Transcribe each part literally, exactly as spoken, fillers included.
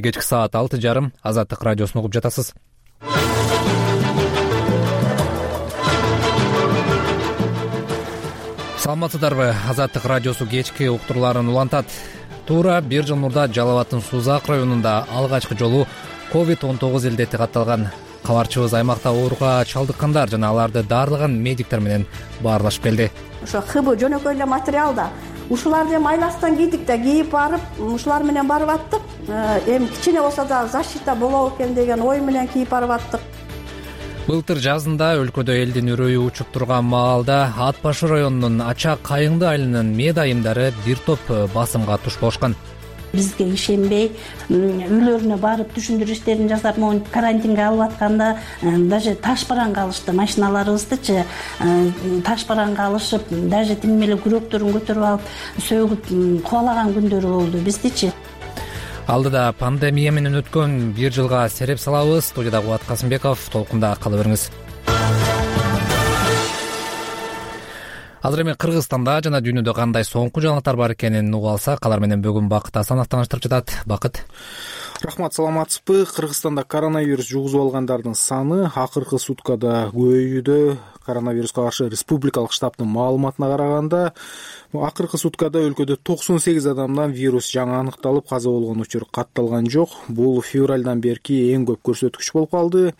Кечки саат алты жарым Азаттык радиосун угуп жатасыз. Саламатсыздарбы? Азаттык радиосу кечки уктурларын улантат. Туура бир жыл мурда Жалал абаддын Сузак районунда алгачкы жолу ковид он тогуз илдети катталган. Кабарчыбыз аймакта ооруга чалдыккандар жана аларды даарлаган медиктер менен баарлашып келди. Ошо хб жөнөкөй эле материал да. Ушуларды эми айластан кийдик да, кийип барып, ушулар менен барып аттык. Эми кичине болсо да защита болобу экен деген ой менен кийип барып аттык. Былтыр жазында өлкөдө элдин үрөйү учуп турган маалда Ат башы районунун Ачак Кайыңды айылынын мед айымдары бир топ басымга туш болушкан. Бизге ишенбей, үйлөрүнө барып түшүндүрүү иштерин жасап, могу карантинге алып атканда даже таш бараңга алышты. Машиналарыбыздычы таш бараңга алышып, даже тим эле күрөктөрүн көтөрүп алып, сөгүп кубалаган күндөрү болду биздичи. Алдыда пандемия менен өткөн бир жылга сереп салабыз. Студияда Кубат Касымбеков, толкунда кала бериңиз. Азыр эми Кыргызстанда жана дүйнөдө кандай соңку жаңылыктар бар экенин угуп алсак, алар менен бүгүн Бакыт Асанов тааныштырып жатат. Бакыт. Рахмат, саламатсызбы? Кыргызстанда коронавирус жугузуп алгандардын саны акыркы суткада көбөйүүдө. Коронавируска каршы республикалык штабтын маалыматына караганда, акыркы суткада өлкөдө токсон сегиз адамдан вирус жаңы аныкталып, каза болгон учур катталган жок. Бул февралдан берки эң көп көрсөткүч болуп калды.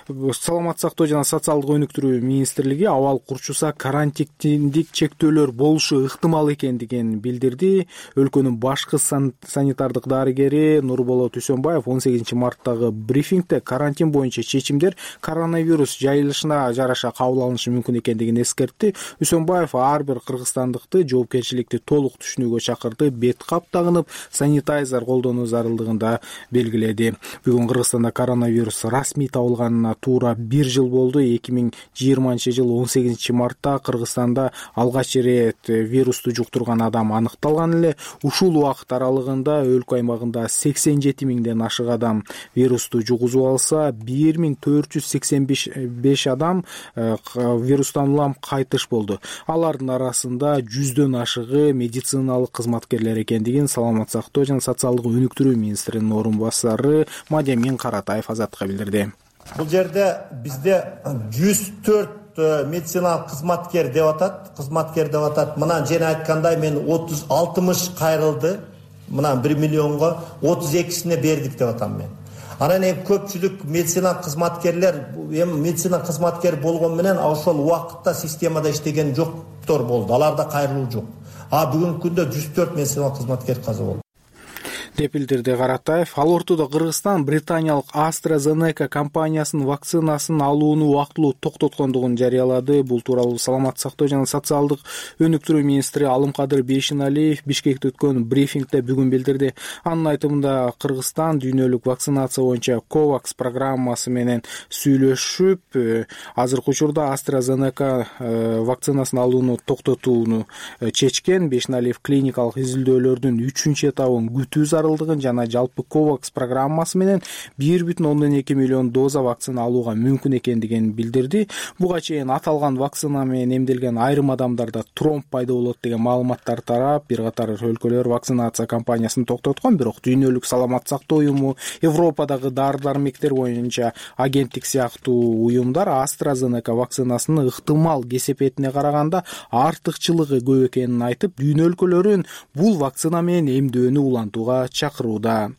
Саламаттык сактоо жана социалдык өнүктүрүү министрлиги абал курчуса карантиндик чектөөлөр болушу ыктымал экендигин билдирди. Өлкөнүн башкы санитардык дарыгери Нурболот Үсөнбаев он сегизинчи марттагы брифингде карантин боюнча чечимдер коронавирус жайылышына жараша кабыл алынышы мүмкүн экендигин эскертти. Үсөнбаев ар бир кыргызстандыкты жоопкерчиликти толук түшүнүүгө чакырды. Бет кап тагынып, санитайзер колдонуу зарылдыгында белгиледи. Бүгүн Кыргызстанда коронавирус расмий табылганына туура бир жыл болду. эки миң жыйырманчы жыл он сегизинчи мартта Кыргызстанда алгач ирет вирусту жуктурган адам аныкталган эле. Ушул убакыт аралыгында өлкө аймагында сексен жети миңден ашык адам вирусту жугузуп алса, бир миң төрт жүз сексен беш адам вирустан улам кайтыш болду. Алардын арасында жүздөн ашыгы медициналык кызматкерлер экендигин Саламаттык сактоо жана социалдык өнүктүрүү министринин орун басары Мадемин Каратаев Азаттыкка билдирди. Бул жерде бизде жүз төрт медициналык кызматкер деп атат, кызматкер деп атат. Мына жена айткандай мен отуз алтымыш кайрылды. Мына бир миллионго отуз экисине бердик деп атам мен. Анан эми көпчүлүк медицина кызматкерлер, эми медицина кызматкер болгон менен ошол убакытта системада иштеген жоктор болду. Аларда кайрылуу жок. А бүгүнкү күндө жүз төрт медицина кызматкер каза болду деп билдирди Каратаев. Ал ортодо Кыргызстан британиялык AstraZeneca компаниясынын вакцинасын алууну убактылуу токтоткондугун жарыялады. Бул тууралуу Саламаттык сактоо жана социалдык өнүктүрүү министри Алымкадыр Бейшеналиев Бишкекте өткөн брифингде бүгүн билдирди. Анын айтымында Кыргызстан дүйнөлүк вакцинация боюнча COVAX программасы менен сүйлөшүп, азыркы учурда AstraZeneca вакцинасын алууну токтотууну чечкен. Бейшеналиев клиникалык изилдөөлөрдүн үчүнчү этабын күтүү жана жалпы COVAX программасы менен бир бүтүн ондон эки миллион доза вакцина алууга мүмкүн экендигин билдирди. Буга чейин аталган вакцина менен эмделген айрым адамдарда тромб пайда болот деген маалыматтар тарап, бир катар өлкөлөр вакцинация кампаниясын токтоткон, бирок дүйнөлүк саламаттык сактоо уюму, Европадагы дары-дармектер боюнча агенттик сыяктуу уюмдар AstraZeneca вакцинасынын ыктымал кесепетине караганда артыкчылыгы көп экенин айтып, дүйнө өлкөлөрүн бул вакцина менен эмдөөнү улантууга чакырууда.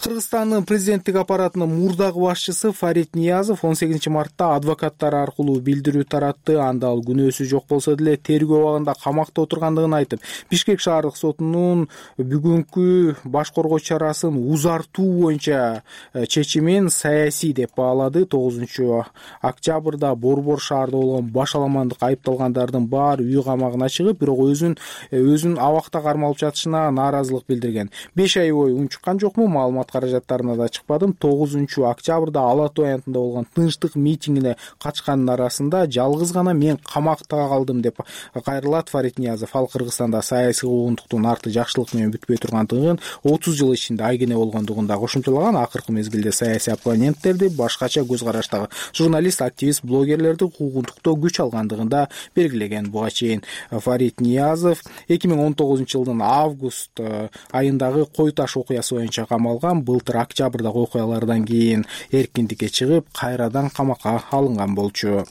Кыргызстандын президенттик аппаратынын мурдагы башчысы Фарид Ниязов он сегизинчи мартта адвокаттар аркылуу билдирүү таратты. Анда ал күнөөсү жок болсо деле тергөө абагында камакта отургандыгын айтып, Бишкек шаардык сотунун бүгүнкү баш коргоо чарасын узартуу боюнча чечимин саясий деп баалады. тогузунчу октябрда Борбор шаарда болгон баш аламандык айыпталгандардын баары үй камагына чыгып, бирок өзүн өзүн абакта кармалып жатышына нааразылык билдирген. беш ай бою унчуккан жокмун, маалымат каражаттарына да чыкпадым. тогузунчу октябрда Ала Тоо аянтында болгон тынчтык митингине катышкандын арасында жалгыз гана мен камакта калдым деп кайрылат Фарид Ниязов. Ал Кыргызстанда саясий куугунтуктун арты жакшылык менен бүтпөй тургандыгын, отуз жыл ичинде айгине болгондугун да кошумчалаган. Акыркы мезгилде саясий оппоненттерди, башкача көз караштагы журналист, активист, блогерлерди куугунтуктоо күч алгандыгын да белгилеген. Буга чейин Фарид Ниязов эки миң он тогузунчу жылдын август айындагы кой таш окуясы боюнча камалган. Былтыр октябрдагы окуялардан кийин эркиндикке чыгып, кайрадан камакка алынган болчу.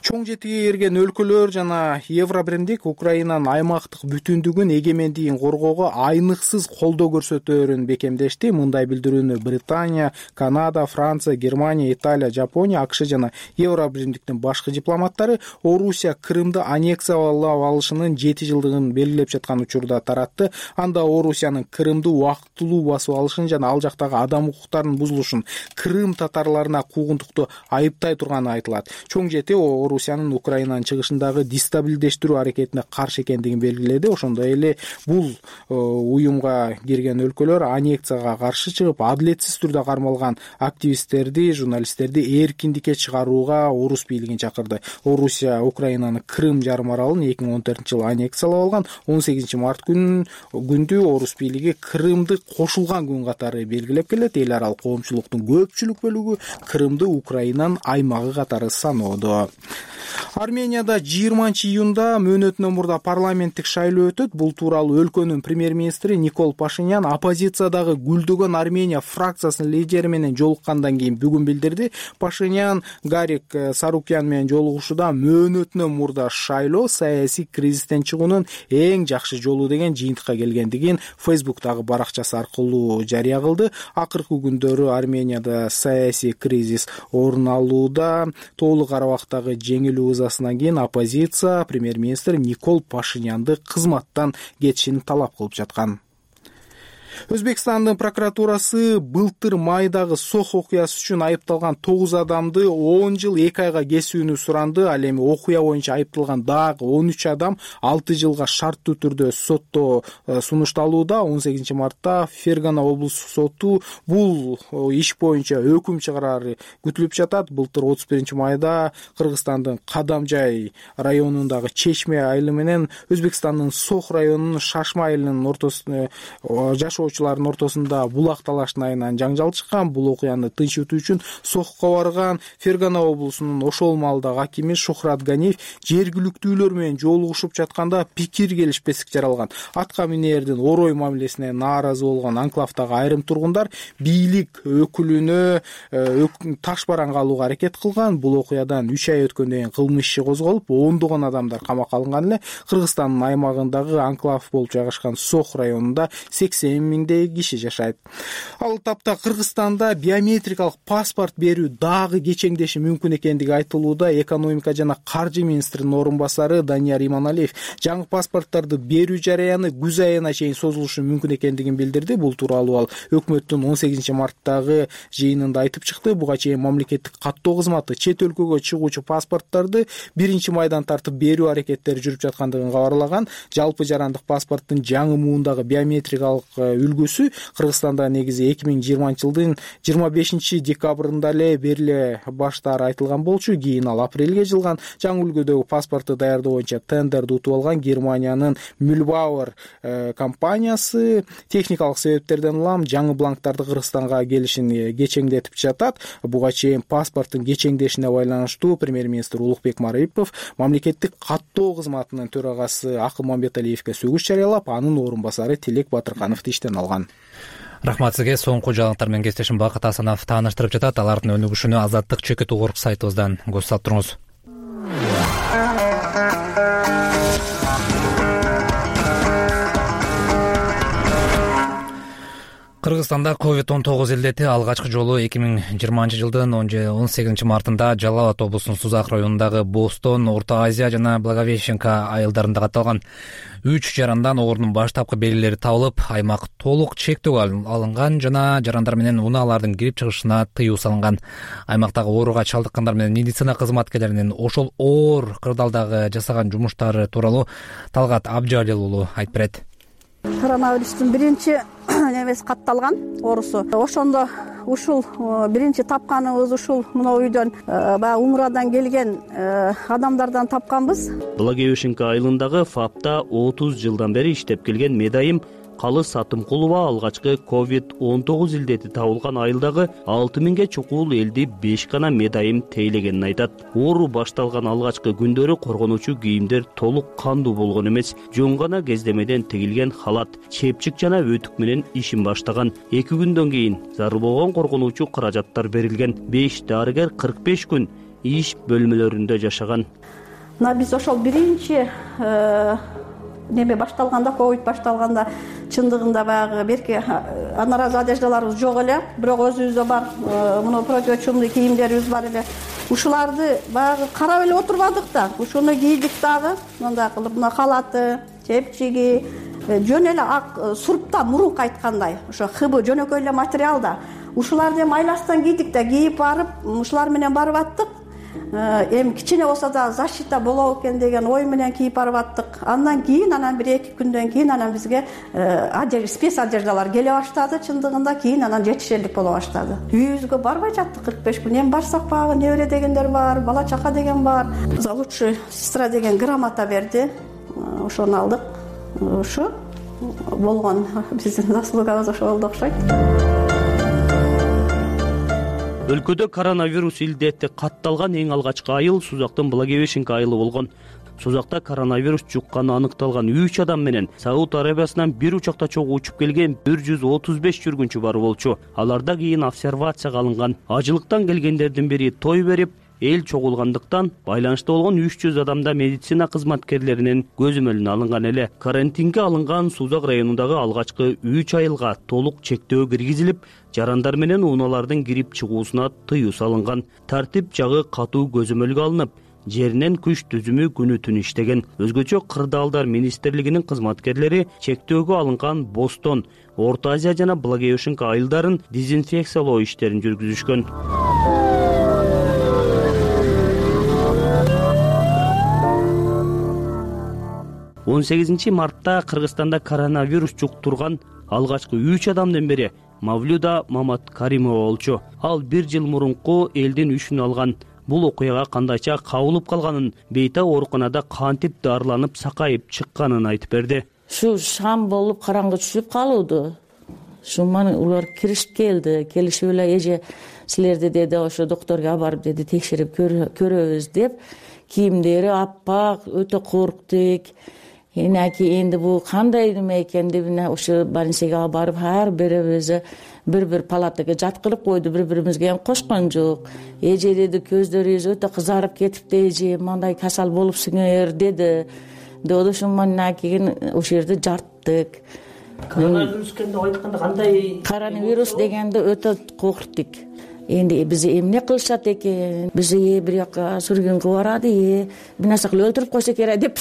Чоң жетиге эрген өлкөлөр жана Евробиримдик Украинанын аймактык бүтүндүгүн, эгемендигин коргоого айныксыз колдоо көрсөтөөрүн бекемдешти. Мындай билдирүүнү Британия, Канада, Франция, Германия, Италия, Жапония, АКШ жана Евробиримдиктин башкы дипломаттары Орусия Крымды аннексиялап алышынын жети жылдыгын белгилеп жаткан учурда таратты. Анда Орусиянын Крымды убактылуу басып алышын жана ал жактагы адам укуктарынын бузулушун, Крым татарларына куугунтукту айыптай турганы айтылат. Чоң жети Орусиянын Украинанын чыгышындагы дестабилдештирүү аракетине каршы экендигин белгиледи. Ошондой эле бул уюмга кирген өлкөлөр аннексияга каршы чыгып, адилетсиз түрдө кармалган активисттерди, журналисттерди эркиндикке чыгарууга орус бийлигин чакырды. Орусия Украинанын Крым жарым аралын эки миң он төртүнчү жылы аннексиялап алган. он сегизинчи март күнү күндү орус бийлиги Крымды кошулган күн катары белгилеп келет. Эл аралык коомчулуктун көпчүлүк бөлүгү Крымды Украинанын аймагы катары саноодо. Арменияда жыйырманчы июнда мөөнөтүнөн мурда парламенттик шайлоо өтөт. Бул тууралуу өлкөнүн премьер-министри Никол Пашинян оппозициядагы Гүлдөгөн Армения фракциясынын лидери менен жолуккандан кийин бүгүн билдирди. Пашинян Гарик Сарукян менен жолугушууда мөөнөтүнөн мурда шайлоо саясий кризистен чыгуунун эң жакшы жолу деген жыйынтыкка келгендигин Фейсбуктагы баракчасы аркылуу жарыя кылды. Акыркы күндөрү Арменияда саясий кризис орун алууда. Толук арабактагы жеңилүү ызасынан кийин оппозиция премьер-министр Никол Пашинянды кызматтан кетишин талап кылып жаткан. Өзбекстандын прокуратурасы былтыр майдагы Сох окуясы үчүн айыпталган тогуз адамды он жыл эки айга кесүүнү суранды. Ал эми окуя боюнча айыпталган дагы он үч адам алты жылга шарттуу түрдө сотто сунушталууда. он сегизинчи мартта Фергана облустук соту бул иш боюнча өкүм чыгарары күтүлүп жатат. Былтыр отуз биринчи майда Кыргызстандын Кадамжай районундагы Чечме айылы менен Өзбекстандын Сох районунун Шашма айылынын ортосунда жашоо жашоочулардын ортосунда булак талаштын айынан жаңжал чыккан. Бул окуяны тынчытуу үчүн Сохко барган Фергана облусунун ошол маалдагы акими Шухрат Ганиев жергиликтүүлөр менен жолугушуп жатканда пикир келишпестик жаралган. Атка минердин орой мамилесине нааразы болгон анклавдагы айрым тургундар бийлик өкүлүнө таш бараңга алууга аракет кылган. Бул окуядан үч ай өткөндөн кийин кылмыш иши козголуп, ондогон адамдар камакка алынган эле. Кыргызстандын аймагындагы анклав болуп жайгашкан Сох районунда сексен миңдей киши жашайт. Ал тапта Кыргызстанда биометрикалык паспорт берүү дагы кечеңдеши мүмкүн экендиги айтылууда. Экономика жана каржы министринин орун басары Данияр Иманалиев жаңы паспорттарды берүү жараяны күз айына чейин созулушу мүмкүн экендигин билдирди. Бул тууралуу ал өкмөттүн он сегизинчи марттагы жыйынында айтып чыкты. Буга чейин мамлекеттик каттоо кызматы чет өлкөгө чыгуучу паспорттарды биринчи майдан тартып берүү аракеттери жүрүп жаткандыгын кабарлаган. Жалпы жарандык паспорттун жаңы муундагы биометрикалык үлгүсү Кыргызстанда негизи эки миң жыйырманчы жылдын жыйырма бешинчи декабрында эле бериле баштаары айтылган болчу. Кийин ал апрелге жылган. Жаңы үлгүдөгү паспортду даярдоо боюнча тендерди утуп алган Германиянын Mühlbauer компаниясы техникалык себептерден улам жаңы бланктарды Кыргызстанга келишин кечеңдетип жатат. Буга чейин паспорттун кечеңдешине байланыштуу премьер-министр Улукбек Марипов мамлекеттик каттоо кызматынын төрагасы Акыл Мамбеталиевге сөгүш жарыялап, анын орун басары Тилек Батыркановду иштен алган. Рахмат сизге. Соңку жаңылыктар менен кесиптешим Бакыт Асанов тааныштырып жатат. Алардын өнүгүшүнө Азаттык чекит угуруп сайтыбыздан көз салып туруңуз. Кыргызстанда ковид он тогуз илдети алгачкы жолу эки миң жыйырманчы жылдын он сегизинчи мартында Жалал Абад облусунун Сузак районундагы Бостон, Орто Азия жана Благовещенка айылдарында катталган. Үч жарандан оорунун баштапкы белгилери табылып, аймак толук чектөөгө алынган жана жарандар менен унаалардын кирип чыгышына тыюу салынган. Аймактагы ооруга чалдыккандар менен медицина кызматкерлеринин ошол оор кырдаалдагы жасаган жумуштары тууралуу Талгат Абжалил уулу айтып берет. Коронавирустун биринчи немеси катталган оорусу. Ошондо ушул биринчи тапканыбыз ушул мына үйдөн баягы умрадан келген адамдардан тапканбыз. Благовещенка айылындагы ФАПта отуз жылдан бери иштеп келген медайым Калыс Атымкулова алгачкы ковид он тогуз илдети табылган айылдагы алты миңге чукул элди беш гана медайым тейлегенин айтат. Оору башталган алгачкы күндөрү коргонуучу кийимдер толук кандуу болгон эмес. Жөн гана кездемеден тигилген халат, чепчик жана өтүк менен ишин баштаган. эки күндөн кийин зарыл болгон коргонуучу каражаттар берилген. беш дарыгер кырк беш күн иш бөлмөлөрүндө жашаган. Мына биз ошол биринчи неме башталганда, ковид башталганда чындыгында баягы берки анаразы одеждаларыбыз жок эле, бирок өзүбүздө бар мына противочумный кийимдерибиз бар эле. Ушуларды баягы карап эле отурбадык да. Ушуну кийдик дагы, мындай кылып мына халаты, чепчиги, жөн эле ак сурпта мурунку айткандай, ошо хыбы жөнөкөй эле материал да. Ушуларды эми айластан кийдик да, кийип барып, ушулар менен барып аттык. Эми кичине болсо да защита болобу экен деген ой менен кийип барып аттык. Андан кийин анан бир эки күндөн кийин анан бизге спец одеждалар келе баштады, чындыгында кийин анан жетишерлик боло баштады. Үйүбүзгө барбай жаттык кырк беш күн. Эми барсак багы небере дегендер бар, бала чака деген бар. За лучшая сестра деген грамота берди. Ошону алдык. Ушу болгон биздин заслугабыз ошо болду окшойт. Өлкөдө коронавирус илдети катталган эң алгачкы айыл Сузактын Благовещенка айылы болгон. Сузакта коронавирус жукканы аныкталган үч адам менен Сауд Арабиясынан бир учакта чогуу учуп келген бир жүз отуз беш жүргүнчү бар болчу. Аларда кийин обсервацияга алынган. Ажылыктан келгендердин бири той берип, эл чогулгандыктан байланышта болгон үч жүз адамда медицина кызматкерлеринин көзөмөлүнө алынган эле. Карантинге алынган Сузак районундагы алгачкы үч айылга толук чектөө киргизилип, жарандар менен унаалардын кирип чыгуусуна тыюу салынган. Тартип жагы катуу көзөмөлгө алынып, жеринен күч түзүмү күнү түн иштеген. Өзгөчө Кырдаалдар министрлигинин кызматкерлери чектөөгө алынган Бостон, Орто Азия жана Благовещенка айылдарын дезинфекциялоо иштерин жүргүзүшкөн. он сегизинчи мартта Кыргызстанда коронавирус жуктурган алгачкы үч адамдын бири Мавлюда Маматкаримова болчу. Ал бир жыл мурунку элдин үшүн алган. Бул окуяга кандайча кабылып калганын, бейта ооруканада кантип дарыланып сакайып чыкканын айтып берди. Шу шам болуп караңгы түшүп калууду. Шуман улар киришип келди. Келишип эле эже силерди деди ошо докторго алып барып деди текшерип көрөбүз деп. Кийимдери аппак, өтө корктук. Энаки энди бул кандай неме экен деп ошо больницага алып барып ар бирибиз бир-бир палатага жаткырып койду, бири-биримизге эми кошкон жок. Эже деди көздөрүбүз өтө кызарып кетипти, эже мындай касал болупсуңер деди. Деді шуманна кийин ошол жерде жарттык. Коронавирус дегенде айтканда кандай? Коронавирус дегенде өтө корктук. Энди биз эмне кылышат экен? Биз бир жака сүргүнгө барады, бир нерсе кылып өлтүрүп койсо керек деп.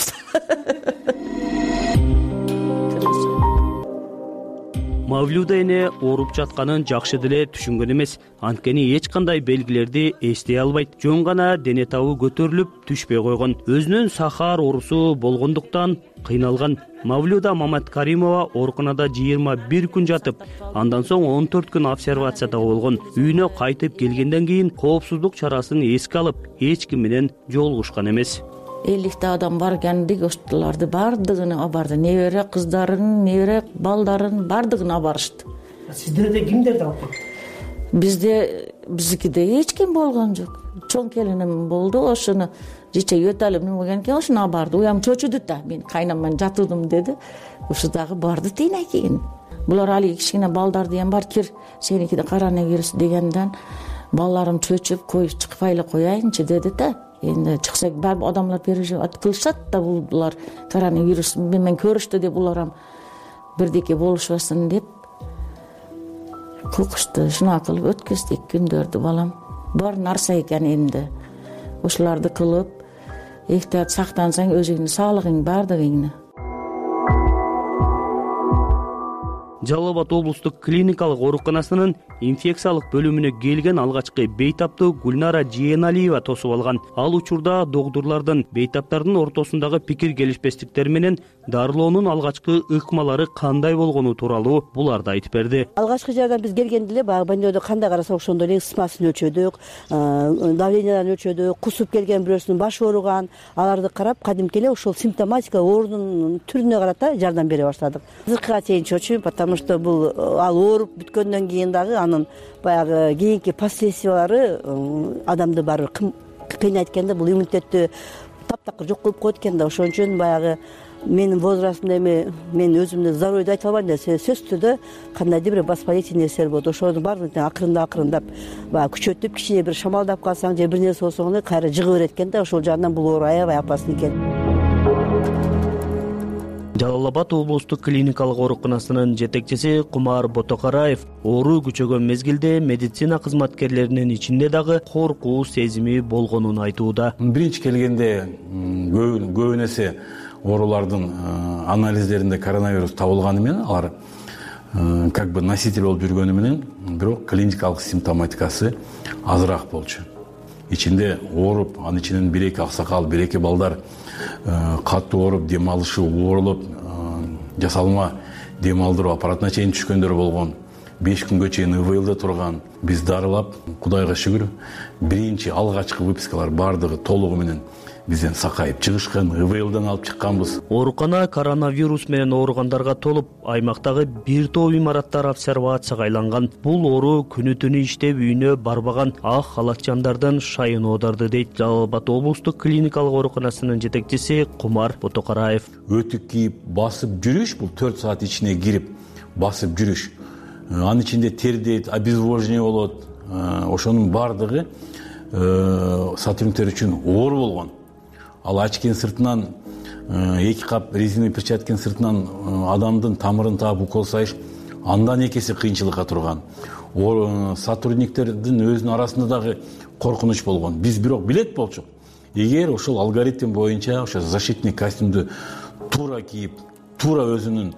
Мавлюда эне ооруп жатканын жакшы деле түшүнгөн эмес. Анткени эч кандай белгилерди эстей албайт. Жөн гана дене табы көтөрүлүп түшпөй койгон. Өзүнүн сахар оорусу болгондуктан кыйналган. Мавлюда Маматкаримова ооруканада жыйырма бир күн жатып, андан соң он төрт күн обсервацияда болгон. Үйүнө кайтып келгенден кийин коопсуздук чарасын эске алып, эч ким менен жолугушкан эмес. элүү адам бар экендик, ошолорду бардыгын алып барды. Небере кыздарын, небере балдарын бардыгын алып барышты. Сиздерде кимдерди алып барды? Бизде биздикиде эч ким болгон жок. Чоң келиним болду, ошону жече өтөлүп немеген экен, ошону алып барды. Уям чочуду да, мен кайнаман жатуудум деди. Ошо дагы барды тийне кийин. Булар али кичине балдарды эм бар, кир сеникиде коронавирус дегенден балдарым чөчүп коюп чыкпай эле кояйынчы деди да. Энди чыкса баары адамдар переживать кылышат да, булар коронавирус менен көрүштү деп булар бирдеке болушпасын деп кукушту. Шуна кылып өткөздүк күндөрдү балам. Бар нарса экен энди. Ошолорду кылып, эhtiyat сактансаң өзүңдүн саалыгың бардыгыңны. Жалал Абад облустук клиникалык ооруканасынын инфекциялык бөлүмүнө келген алгачкы бейтапты Гүлнара Жээналиева тосуп алган. Ал учурда доктурлардын бейтаптардын ортосундагы пикир келишпестиктер менен дарылоонун алгачкы ыкмалары кандай болгону тууралуу буларды айтып берди. Алгачкы жардам биз келгенде эле баягы больнойдо кандай карасак ошондой эле ысмасын өлчөдүк, давленияларын өлчөдүк, кусуп келген бирөөсүнүн башы ооруган, аларды карап кадимки эле ошол симптоматика оорунун түрүнө карата жардам бере баштадык. Азыркыга чейин чочуйм, потому что бул ал ооруп бүткөндөн кийин дагы анын баягы кийинки последствиялары адамды барыбир кыйнайт экен да, бул иммунитетти таптакыр жок кылып коет экен да. Ошон үчүн баягы менин возрастымда эми мен өзүмдү здоровьйду айта албайм да, сөзсүз түрдө кандайдыр бир воспалительный нерселер болот. Ошонун баардыгын акырындап акырындап баягы күчөтүп, кичине бир шамалдап калсаң же бир нерсе болсоң эле кайра жыгы берет экен да. Ошол жагынан бул оору аябай опасный экен. Жалал Абад облустук клиникалык ооруканасынын жетекчиси Кумар Ботокараев оору күчөгөн мезгилде медицина кызматкерлеринин ичинде дагы коркуу сезими болгонун айтууда. Биринчи келгенде көбүн эсе оорулардын анализдеринде коронавирус табылганы менен алар как бы носитель болуп жүргөнү менен бирок клиникалык симптоматикасы азыраак болчу. Ичинде ооруп, анын ичинен бир эки аксакал, бир эки балдар катуу ооруп, дем алышы оорулуп, жасалма дем алдыруу аппаратына чейин түшкөндөр болгон. беш күнгө чейин ИВЛде турган. Биз дарылап, Кудайга шүгүр, биринчи алгачкы выпискалар бардыгы толугу менен бизден сакайып чыгышкан, ИВЛден алып чыкканбыз. Оорукана коронавирус менен ооругандарга толуп, аймактагы бир топ имараттар обсервацияга айланган. Бул оору күнү түнү иштеп үйүнө барбаган ак халатчандардын шайын оодарды дейт Жалал Абад облустук клиникалык ооруканасынын жетекчиси Кумар Ботокараев. Өтүк кийип басып жүрүш, бул төрт саат ичине кирип басып жүрүш. Анын ичинде тердейт, обезвоживание болот. Ошонун бардыгы сотрудниктер үчүн оор болгон. Ал очкинин сыртынан эки кап резиновый перчатканын сыртынан адамдын тамырын таап укол сайыш андан экеси кыйынчылыкка турган. Сотрудниктердин өзүнүн арасында дагы коркунуч болгон. Биз бирок билет болчук. Эгер ошол алгоритм боюнча ошо защитный костюмду туура кийип, туура өзүнүн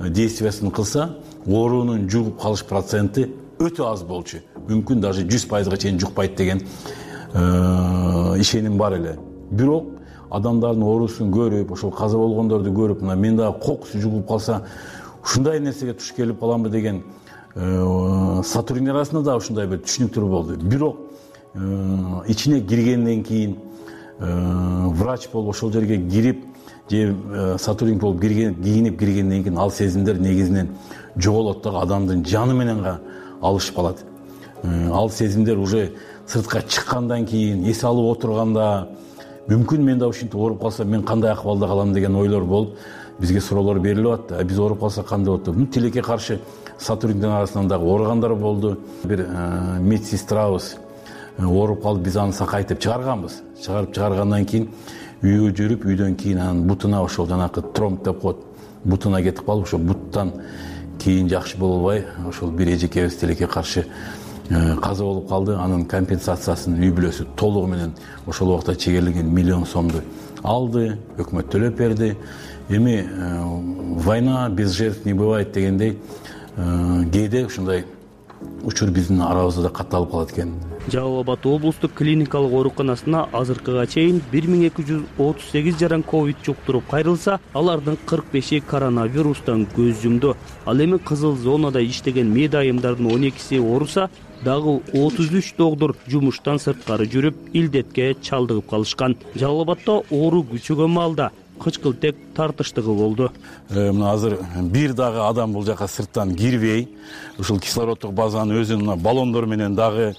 действиясын кылса, оорунун жугуп калыш проценти өтө аз болчу. Мүмкүн даже жүз пайызга чейин жукпайт деген ишеним бар эле. Бирок адамдардын оорусун көрүп, ошол каза болгондорду көрүп, мына мен дагы кокусу жугуп калса, ушундай нерсеге туш келип каламбы деген сотрудниктер арасында да ушундай бир түшүнүктөр болду. Бирок ичине киргенден кийин врач болуп ошол жерге кирип, же сотрудник болуп кийинип киргенден кийин ал сезимдер негизинен жоголот дагы, адамдын жаны менен алышып калат. Ал сезимдер уже сыртка чыккандан кийин, эс алып отурганда, мүмкүн мен да ушинтип ооруп калсам мен кандай акыбалда калам деген ойлор болуп, бизге суроолор берилип атты. Биз ооруп калсак кандай болот деп. Тилекке каршы сотрудниктер арасынан дагы ооругандар болду. Бир медсестрабыз ооруп калып, биз аны сакайтып чыгарганбыз. Чыгарып чыгаргандан кийин үйгө жүрүп, үйдөн кийин анын бутуна ошол жанакы тромб деп коет, бутуна кетип калып, ошол буттан кийин жакшы болбой, ошол бир эжекебиз тилекке каршы каза болуп калды. Анын компенсациясын үй бүлөсү толугу менен ошол убакта чегерилген миллион сомду алды, өкмөт төлөп берди. Эми война без жертв не бывает дегендей, кээде ушундай учур биздин арабызда да катталып калат экен. Жалал Абад облустук клиникалык ооруканасына азыркыга чейин бир миң эки жүз отуз сегиз жаран ковид жуктуруп кайрылса, алардын кырк беши коронавирустан көз жумду. Ал эми кызыл зонада иштеген медайымдардын он экиси ооруса, дагы отуз үч доктур жумуштан сырткары жүрүп, илдетке чалдыгып калышкан. Жалал Абадда оору күчөгөн маалда кычкылтек тартыштыгы болду. Мына азыр бир дагы адам бул жака сырттан кирбей, ушул кислороддук базанын өзүн баллондор менен дагы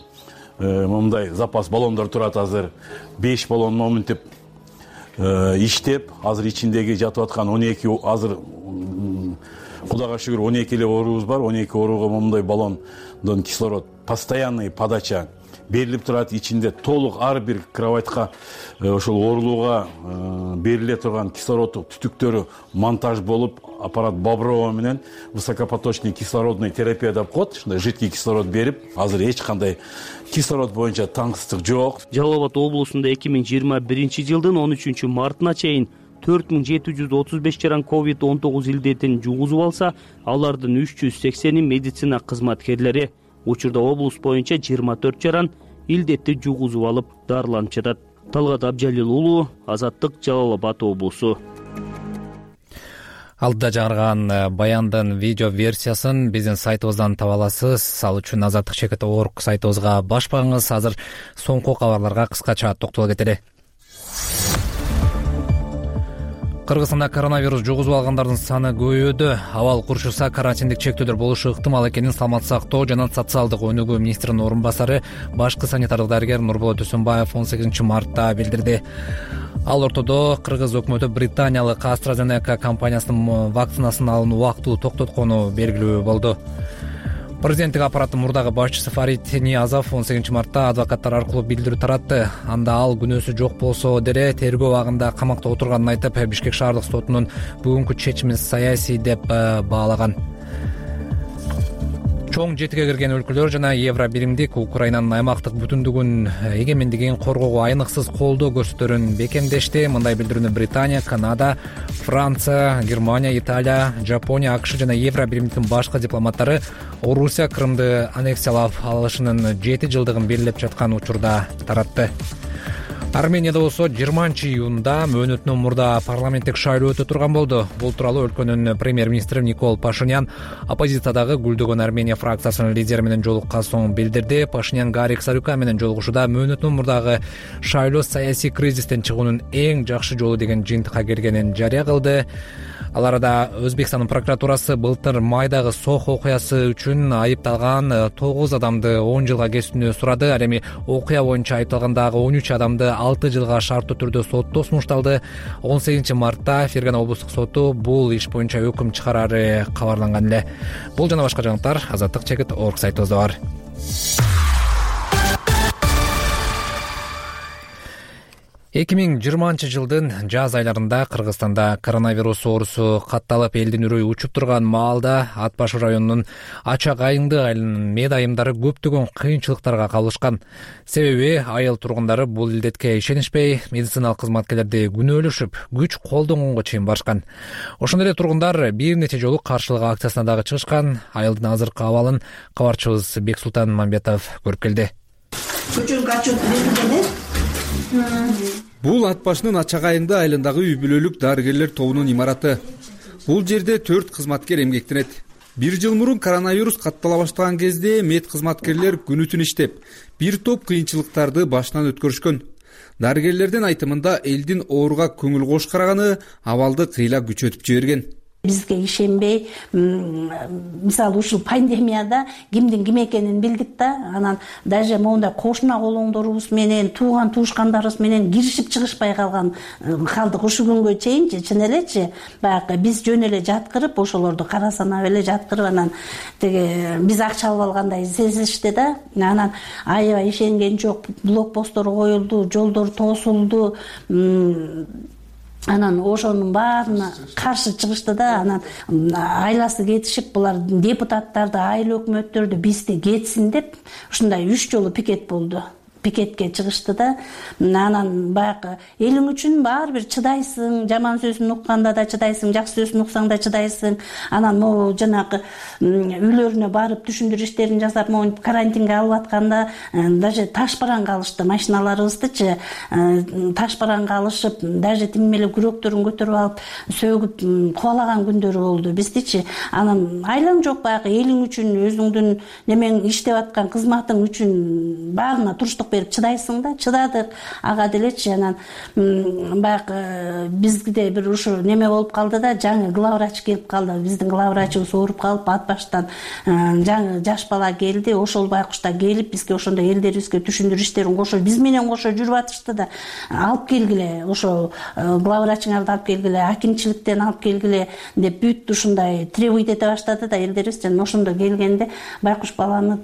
мындай запас баллондор турат. Азыр беш баллон моминтип иштеп, азыр ичиндеги жатып аткан он эки, азыр Кудайга шүгүр он эки эле оорубуз бар. он эки ооруга мындай баллондон кислород постоянный подача берилип турат. Ичинде толук ар бир кроватька ошол оорулууга бериле турган кислороддук түтүктөрү монтаж болуп, аппарат Боброва менен высокопоточный кислородный терапия деп коет, ушундай жидкий кислород берип, азыр эч кандай кислород боюнча таңсыздык жок. Жалал Абад облусунда эки миң жыйырма биринчи жылдын он үчүнчү мартына чейин төрт миң жети жүз отуз беш жаран ковид он тогуз илдетин жугузуп алса, алардын үч жүз сексени медицина кызматкерлери. Учурда облус боюнча жыйырма төрт жаран илдетти жугузуп алып дарыланып жатат. Талгат Абжалил уулу, Азаттык, Жалал Абад облусу. Алдыда жаңырган баяндын видео версиясын биздин сайтыбыздан таба аласыз. Ал үчүн азаттык чекит орг сайтыбызга баш багыңыз. Азыр соңку кабарларга кыскача токтоло кетели. Кыргызстанда коронавирус жугузуп алгандардын саны көбөйүүдө. Абал курчуса карантиндик чектөөдөр болушу ыктымал экенин Саламаттык сактоо жана социалдык өнүгүү министринин орун басары башкы санитардык дарыгер Нурболот Өсөнбаев он сегизинчи мартта билдирди. Ал ортодо кыргыз өкмөтү британиялык AstraZeneca компаниясынын вакцинасын алууну убактылуу токтоткону белгилүү болду. Президенттик аппараттын мурдагы башчысы Фарид Ниязов он сегизинчи мартта адвокаттар аркылуу билдирүү таратты. Анда ал күнөөсү жок болсо деле тергөө абагында камакта отурганын айтып, Бишкек шаардык сотунун бүгүнкү чечимин саясий деп баалаган. Чоң жетиге кирген өлкөлөр жана Евро биримдик Украинанын аймактык бүтүндүгүн, эгемендигин коргоого айныксыз колдоо көрсөтөрүн бекемдешти. Мындай билдирүүнү Британия, Канада, Франция, Германия, Италия, Жапония, АКШ жана Евро биримдиктин башкы дипломаттары Орусия Крымды аннексиялап алышынын жети жылдыгын белгилеп жаткан учурда таратты. Арменияда болсо жыйырманчы июнда мөөнөтүнөн мурда парламенттик шайлоо өтө турган болду. Бул тууралуу өлкөнүн премьер-министри Никол Пашинян оппозициядагы Гүлдөгөн Армения фракциясынын лидери менен жолуккан соң билдирди. Пашинян Гарик Сарюка менен жолугушууда мөөнөтүнөн мурдагы шайлоо саясий кризистен чыгуунун эң жакшы жолу деген жыйынтыкка келгенин жарыя кылды. Ал арада Өзбекстандын прокуратурасы былтыр майдагы Сох окуясы үчүн айыпталган тогуз адамды он жылга кесүүнү сурады. Ал эми окуя боюнча айыпталгандагы он үч адамды алты жылга шарттуу түрдө соттоо сунушталды. он сегизинчи мартта Фергана облустук соту бул иш боюнча өкүм чыгарары кабарланган эле. Бул жана башка жаңылыктар азаттык чекит орг сайтыбызда бар. эки миң жыйырманчы жылдын жаз айларында Кыргызстанда коронавирус оорусу катталып, элдин үрөйү учуп турган маалда Ат Башы районунун Ачак айыңды айылынын мед айымдары көптөгөн кыйынчылыктарга кабылышкан. Себеби айыл тургундары бул илдетке ишенишпей, медициналык кызматкерлерди күнөөлөшүп, күч колдонгонго чейин барышкан. Ошондой эле тургундар бир нече жолу каршылык акциясына дагы чыгышкан. Айылдын азыркы абалын кабарчыбыз Бексултан Мамбетов көрүп келди. Бул Ат Башынын Ачак айыңды айылындагы үй бүлөлүк дарыгерлер тобунун имараты. Бул жерде төрт кызматкер эмгектенет. Бир жыл мурун коронавирус каттала баштаган кезде мед кызматкерлер күнү түн иштеп, бир топ кыйынчылыктарды башынан өткөрүшкөн. Дарыгерлердин айтымында элдин ооруга көңүл кош караганы абалды кыйла күчөтүп жиберген. Бизге ишенбей, мисалы ушул пандемияда кимдин ким экенин билдик да, анан даже моундай кошуна колоңдорубуз менен, тууган туушкандарыбыз менен киришип чыгышпай калган калдык. Ушул күнгө чейинчи чын элечи баягы биз жөн эле жаткырып, ошолорду кара санап эле жаткырып, анан теге биз акча алып алгандай сезишти да. Анан аябай ишенген жок, блокпосттор коюлду, жолдор тосулду. Анан ошонун баарына каршы чыгышты да. Анан айласы кетишип, булар депутаттарды, айыл өкмөттөрдү бизди кетсин деп ушундай үч жолу пикет болду. Пикетке чыгышты да. Анан баягы элиң үчүн баары бир чыдайсың, жаман сөзүн укканда да чыдайсың, жакшы сөзүн уксаң да чыдайсың. Анан могу жанагы үйлөрүнө барып түшүндүрүү иштерин жасап, могу карантинге алып атканда даже таш бараңга алышты. Машиналарыбыздычы таш бараңга алышып, даже тим эле күрөктөрүн көтөрүп алып, сөгүп кубалаган күндөрү болду биздичи. Анан айлаң жок, баягы элиң үчүн, өзүңдүн немең иштеп аткан кызматың үчүн баарына туруштук берип чыдайсың да. Чыдадык ага делечи. Анан баягы бизде бир ушу неме болуп калды да, жаңы главврач келип калды. Биздин главврачыбыз ооруп калып, Ат Баштан жаңы жаш бала келди. Ошол байкушта келип бизге ошондой элдерибизге түшүндүрүү иштерин кошо, биз менен кошо жүрүп атышты да. Алып келгиле, ошо главврачыңарды алып келгиле, акимчиликтен алып келгиле деп бүт ушундай требуйт эте баштады да элдерибиз. Жана ошондо келгенде байкуш баланы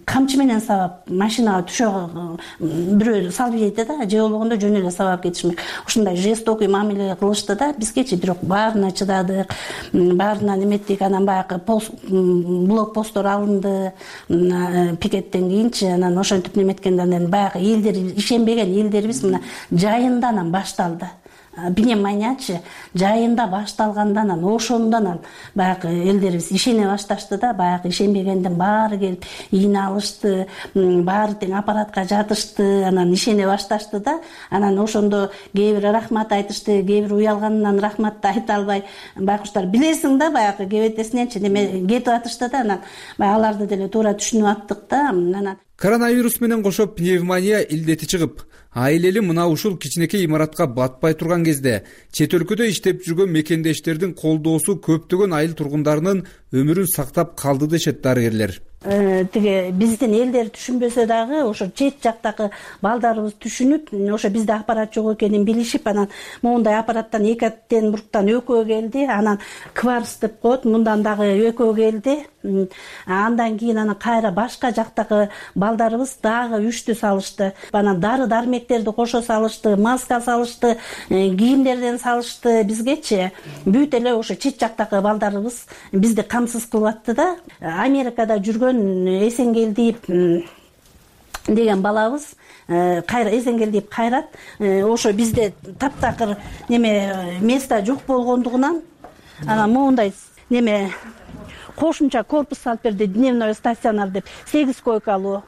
камчы менен сабап машинага түшө бирөө салып жейди да, же болгондо жөн эле сабап кетишмек. Ушундай жестокий мамиле кылышты да. Бизгечи бирок баарына чыдадык, баарына неметтик. Анан баягы блокпосттор алынды пикеттен кийинчи. Анан ошентип неметкенде анан баягы элдер ишенбеген элдерибиз мына жайында анан башталды. пневмониячы жайында башталганда анан ошондон анан баягы элдерибиз ишене башташты да, баягы ишенбегендин баары келип ийне алышты, баары тең аппаратка жатышты, анан ишене башташты да. Анан ошондо кээ бир рахмат айтышты, кээ бир уялганынан рахматты айта албай байкуштар билесиң да баягы кебетесиненчи неме кетип атышты да, анан баягы аларды деле туура түшүнүп аттык да. Анан коронавирус менен кошо пневмония илдети чыгып, айлели мына ушул кичинекей имаратка батпай турган кезде чет өлкөдө иштеп жүргөн мекендештердин колдоосу көптөгөн айыл тургундарынын өмүрүн сактап калды дешет дарыгерлер. Тиги биздин элдер түшүнбөсө дагы ошо чет жактагы балдарыбыз түшүнүп, ошо бизде аппарат жок экенин билишип, анан моундай аппараттан эки буруктан экөө келди, анан кварц деп коет, мындан дагы экөө келди. Андан кийин анан кайра башка жактагы балдарыбыз дагы үчтү салышты. Анан дары дармектерди кошо салышты, маска салышты, кийимдерден салышты бизгечи. Бүт эле ошо чет жактагы балдарыбыз бизди камсыз кылып атты да. Америкада жүргөн Эсенгелдиев деген балабыз кайра Эсенгелдиев Кайрат ошо бизде таптакыр неме место жок болгондугунан анан моундай неме кошумча корпус салып берди, дневной стационар деп, сегиз койкалуу.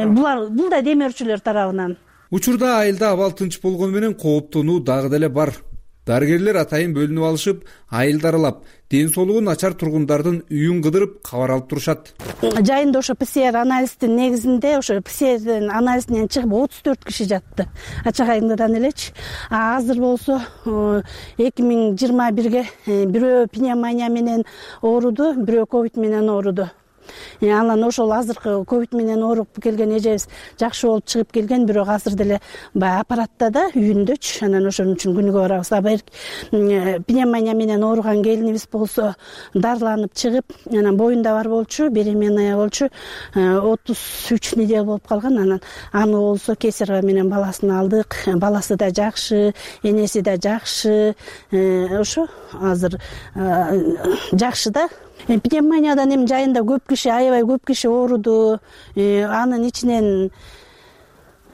Булар бул да демөөрчүлөр тарабынан. Учурда айылда абал тынч болгону менен кооптонуу дагы деле бар. Дарыгерлер атайын бөлүнүп алышып, айылды аралап, ден соолугу начар тургундардын үйүн кыдырып кабар алып турушат. Жайында ошо ПЦР анализдин негизинде ошо ПЦРдин анализинен чыгып отуз төрт киши жатты. Ачагайыңдан элечи. А азыр болсо эки миң жыйырма бирге бирөө пневмония менен ооруду, бирөө ковид менен ооруду. Анан ошол азыркы ковид менен ооруп келген эжебиз жакшы болуп чыгып келген, бирок азыр деле баягы аппаратта да үйүндөчү. Анан ошон үчүн күнүгө барабыз. А пневмония менен ооруган келинибиз болсо дарыланып чыгып, анан боюнда бар болчу, беременная болчу, отуз үч неделя болуп калган. Анан аны болсо кесарево менен баласын алдык. Баласы да жакшы, энеси да жакшы. Ошо азыр жакшы да. Пневмониядан эми жайында көп киши, аябай көп киши ооруду. Анын ичинен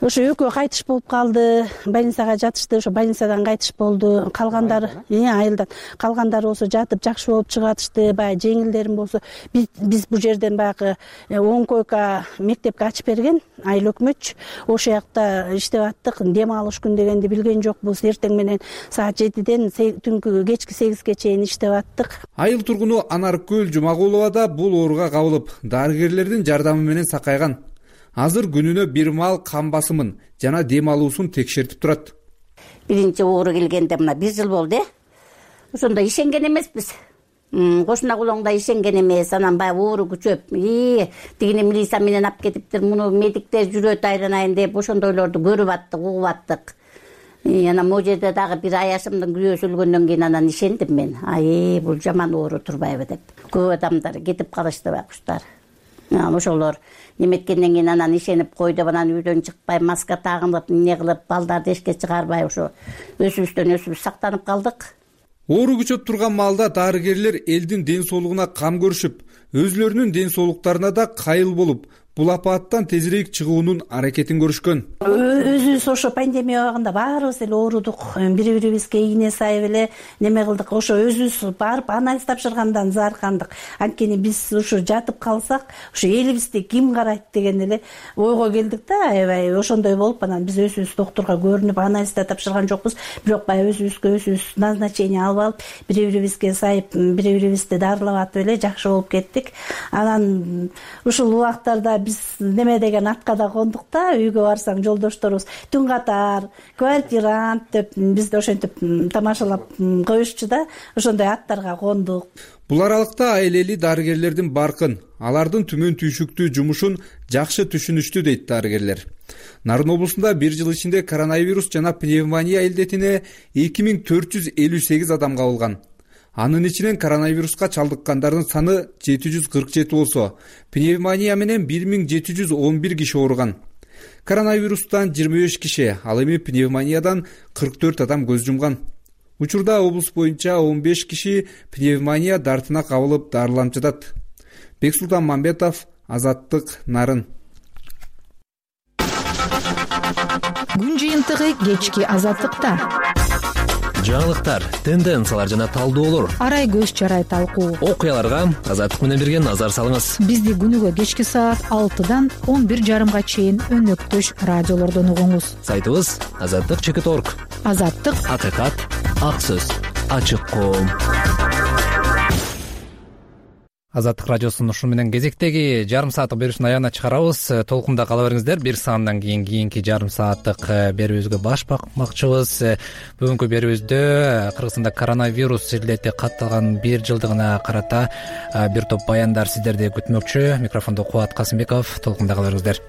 ошо экөө кайтыш болуп калды, больницага жатышты, ошо больницадан кайтыш болду. Калгандары, айылдан калгандары болсо жатып жакшы болуп чыгатышты. Баягы жеңилдерин болсо биз бул жерден баягы он койка мектепке ачып берген айыл өкмөтчү. Ошол жакта иштеп аттык. Дем алыш күн дегенди билген жокпуз. Эртең менен саат жетиден түнкү кечки сегизге чейин иштеп аттык. Айыл тургуну Анаркөл Жумагулова да бул ооруга кабылып, дарыгерлердин жардамы менен сакайган. Азыр күнүнө бир маал кан басымын жана дем алуусун текшертип турат. Биринчи оору келгенде мына бир жыл болду. Ошондо ишенген эмеспиз. Кошуна кулоңда ишенген эмес. Анан баягы оору күчөп, тигини милиция менен алып кетиптир, муну медиктер жүрөт айланайын деп ошондойлорду көрүп аттык, угуп аттык. Анан могу жерде дагы бир аяшымдын күрөөсү өлгөндөн кийин анан ишендим мен. Ай, бул жаман оору турбайбы деп. Көп адамдар кетип калышты байкуштар. Ошолор неметкенден кийин анан ишенип койду, анан үйдөн чыкпай, маска тагынып, эмне кылып, балдарды эшикке чыгарбай ошо өзүбүздөн өзүбүз сактанып калдык. Оору күчөп турган маалда дарыгерлер элдин ден соолугуна кам көрүшүп, өзүлөрүнүн ден соолуктарына да кайыл болуп, бул апааттан тезирээк чыгуунун аракетин көрүшкөн. Өзүбүз ошо пандемия убагында баарыбыз эле оорудук, бири-бирибизге ийне сайып эле неме кылдык. Ошо өзүбүз барып анализ тапшыргандан заркандык. Анткени биз ошо жатып калсак, ошо элибизди ким карайт деген эле ойго келдик да. Аябай ошондой болуп, анан биз өзүбүз доктурга көрүнүп анализ да тапшырган жокпуз. Бирок баягы өзүбүзгө өзүбүз назначение алып алып, бири-бирибизге сайып, бири-бирибизди дарылап атып эле жакшы болуп кеттик. Анан ушул убактарда биз неме деген атка да кондук да. Үйгө барсаң жолдошторубуз түн катар, квартирант деп бизди ошентип тамашалап коюшчу да. Ошондой аттарга кондук. Бул аралыкта айлели дарыгерлердин баркын, алардын түмөн түйшүктүү жумушун жакшы түшүнүштү дейт дарыгерлер. Нарын облусунда бир жыл ичинде коронавирус жана пневмония илдетине эки миң төрт жүз элүү сегиз адам кабылган. Анын ичинен коронавируска чалдыккандардын саны жети жүз кырк жети болсо, пневмония менен бир миң жети жүз он бир киши ооруган. Коронавирустан жыйырма беш киши, ал эми пневмониядан кырк төрт адам көз жумган. Учурда облус боюнча он беш киши пневмония дартына кабылып дарыланып жатат. Бексултан Мамбетов, Азаттык, Нарын. Күн жыйынтыгы кечки Азаттыкта. жаңылыктар, тенденциялар жана талдоолор, арай көз чарай талкуу, окуяларга Азаттык менен бирге назар салыңыз. Бизди күнүгө кечки саат алтыдан он бир жарымга чейин өнөктөш радиолордон угуңуз. Сайтыбыз азаттык чекит точка орг. Азаттык, акыйкат, ак сөз, ачык коом. Азаттык радиосунун ушун менен кезектеги жарым сааттык берүүбүздүн аягына чыгарабыз. Толкунда кала бериңиздер. Бир саамдан кийин кийинки жарым сааттык берүүбүзгө баш бакмакчыбыз. Бүгүнкү берүүбүздө Кыргызстанда коронавирус иллети катталган бир жылдыгына карата бир топ баяндар сиздерди күтмөкчү. Микрофондо Кубат Касымбеков. Толкунда кала бериңиздер.